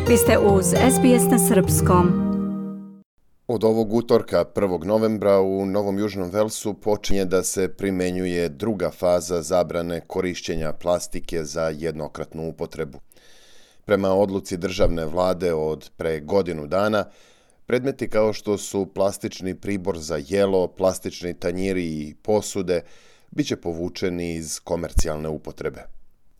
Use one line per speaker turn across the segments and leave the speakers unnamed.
Vi ste uz SBS na srpskom.
Od ovog utorka 1. novembra u Novom Južnom Velsu počinje da se primenjuje druga faza zabrane korišćenja plastike za jednokratnu upotrebu. Prema odluci državne vlade od pre godinu dana, predmeti kao što su plastični pribor za jelo, plastični tanjiri i posude biće povučeni iz komercijalne upotrebe.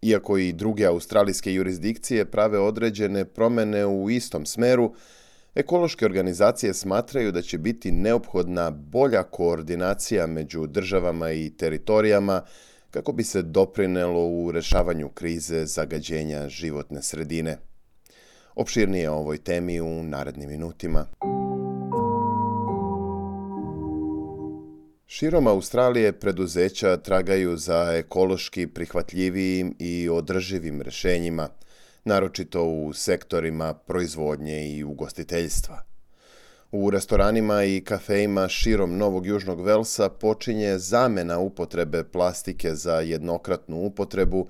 Iako i druge australijske jurisdikcije prave određene promjene u istom smeru, ekološke organizacije smatraju da će biti neophodna bolja koordinacija među državama i teritorijama kako bi se doprinelo u rešavanju krize zagađenja životne sredine. Opširnije o ovoj temi u narednim minutima. Širom Australije preduzeća tragaju za ekološki prihvatljivijim i održivim rešenjima, naročito u sektorima proizvodnje i ugostiteljstva. U restoranima i kafejima širom Novog Južnog Velsa počinje zamena upotrebe plastike za jednokratnu upotrebu,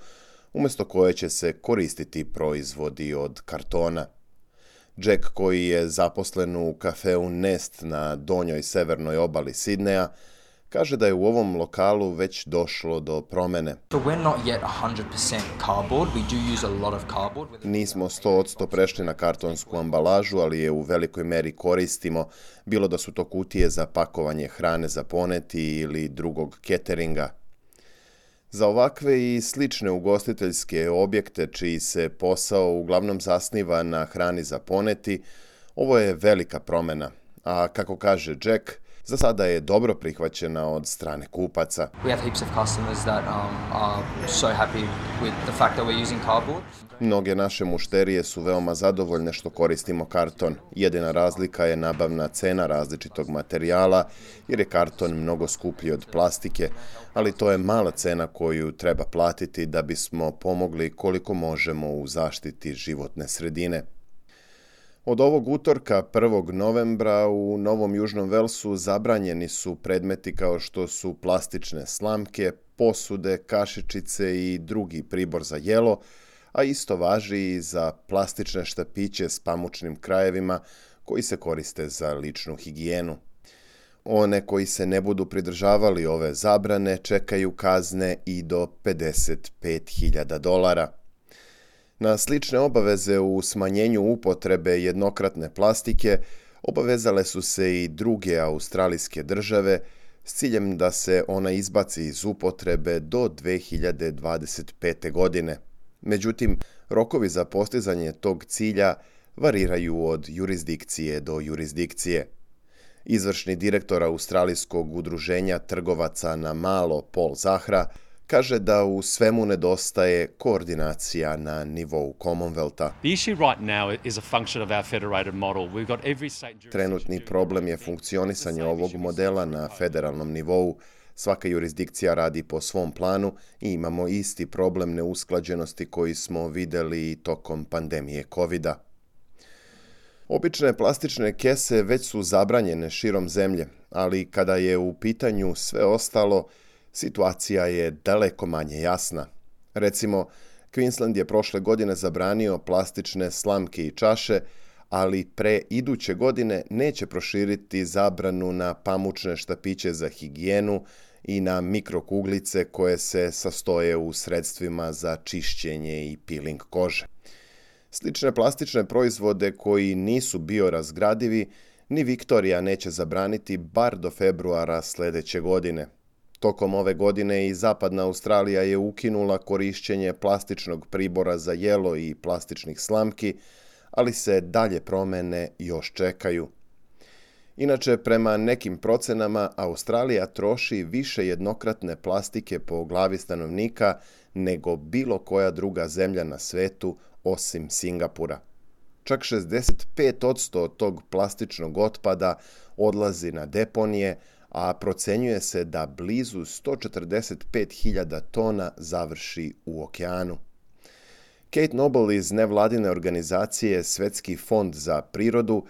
umjesto koje će se koristiti proizvodi od kartona. Jack, koji je zaposlen u kafeu Nest na donjoj severnoj obali Sidneja, kaže da je u ovom lokalu već došlo do promene. Nismo 100% prešli na kartonsku ambalažu, ali je u velikoj meri koristimo, bilo da su to kutije za pakovanje hrane za poneti ili drugog cateringa. Za ovakve i slične ugostiteljske objekte čiji se posao uglavnom zasniva na hrani za poneti, ovo je velika promjena, a kako kaže Jack, za sada je dobro prihvaćena od strane kupaca. Mnoge naše mušterije su veoma zadovoljne što koristimo karton. Jedina razlika je nabavna cena različitog materijala, jer je karton mnogo skuplji od plastike, ali to je mala cena koju treba platiti da bismo pomogli koliko možemo u zaštiti životne sredine. Od ovog utorka 1. novembra u Novom Južnom Velsu zabranjeni su predmeti kao što su plastične slamke, posude, kašičice i drugi pribor za jelo, a isto važi i za plastične štapiće s pamučnim krajevima koji se koriste za ličnu higijenu. One koji se ne budu pridržavali ove zabrane čekaju kazne i do $55.000. Na slične obaveze u smanjenju upotrebe jednokratne plastike obavezale su se i druge australijske države s ciljem da se ona izbaci iz upotrebe do 2025. godine. Međutim, rokovi za postizanje tog cilja variraju od jurisdikcije do jurisdikcije. Izvršni direktor Australijskog udruženja trgovaca na malo Paul Zahra kaže da u svemu nedostaje koordinacija na nivou Commonwealtha. Trenutni problem je funkcionisanje ovog modela na federalnom nivou. Svaka jurisdikcija radi po svom planu i imamo isti problem neusklađenosti koji smo vidjeli tokom pandemije COVID-a. Obične plastične kese već su zabranjene širom zemlje, ali kada je u pitanju sve ostalo, situacija je daleko manje jasna. Recimo, Queensland je prošle godine zabranio plastične slamke i čaše, ali pre iduće godine neće proširiti zabranu na pamučne štapiće za higijenu i na mikrokuglice koje se sastoje u sredstvima za čišćenje i peeling kože. Slične plastične proizvode koji nisu biorazgradivi ni Viktorija neće zabraniti bar do februara sljedeće godine. Tokom ove godine i Zapadna Australija je ukinula korišćenje plastičnog pribora za jelo i plastičnih slamki, ali se dalje promjene još čekaju. Inače, prema nekim procenama, Australija troši više jednokratne plastike po glavi stanovnika nego bilo koja druga zemlja na svetu osim Singapura. Čak 65% tog plastičnog otpada odlazi na deponije, a procenjuje se da blizu 145.000 tona završi u okeanu. Kate Noble iz nevladine organizacije Svetski fond za prirodu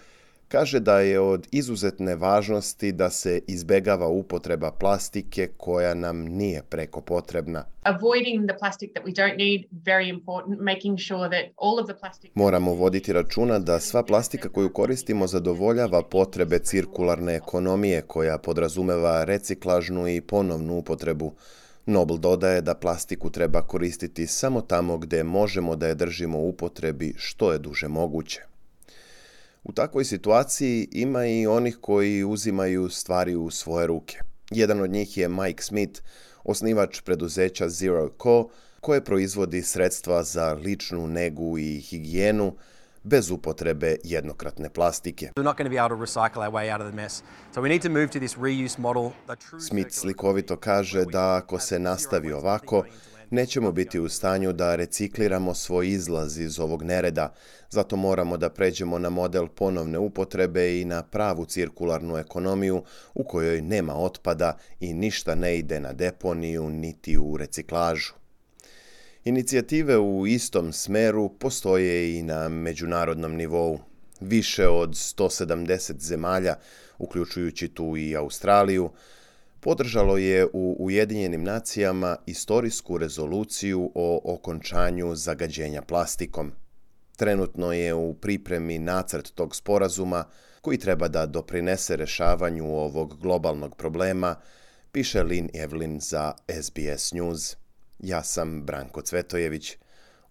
Kaže da je od izuzetne važnosti da se izbegava upotreba plastike koja nam nije preko potrebna.
Avoiding the plastic that we don't need, very important, making sure that all of the plastic...
Moramo voditi računa da sva plastika koju koristimo zadovoljava potrebe cirkularne ekonomije koja podrazumeva reciklažnu i ponovnu upotrebu. Nobel dodaje da plastiku treba koristiti samo tamo gdje možemo da je držimo u upotrebi što je duže moguće. U takvoj situaciji ima i onih koji uzimaju stvari u svoje ruke. Jedan od njih je Mike Smith, osnivač preduzeća Zero Co, koje proizvodi sredstva za ličnu negu i higijenu bez upotrebe jednokratne plastike. Smith slikovito kaže da ako se nastavi ovako, nećemo biti u stanju da recikliramo svoj izlaz iz ovog nereda, zato moramo da pređemo na model ponovne upotrebe i na pravu cirkularnu ekonomiju u kojoj nema otpada i ništa ne ide na deponiju niti u reciklažu. Inicijative u istom smeru postoje i na međunarodnom nivou. Više od 170 zemalja, uključujući tu i Australiju, podržalo je u Ujedinjenim nacijama istorijsku rezoluciju o okončanju zagađenja plastikom. Trenutno je u pripremi nacrt tog sporazuma koji treba da doprinese rešavanju ovog globalnog problema, piše Lynn Evelyn za SBS News. Ja sam Branko Cvetojević.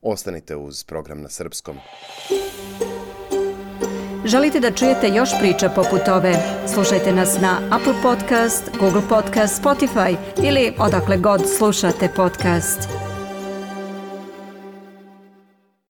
Ostanite uz program na srpskom.
Želite da čujete još priča poput ove? Slušajte nas na Apple Podcast, Google Podcast, Spotify ili odakle god slušate podcast.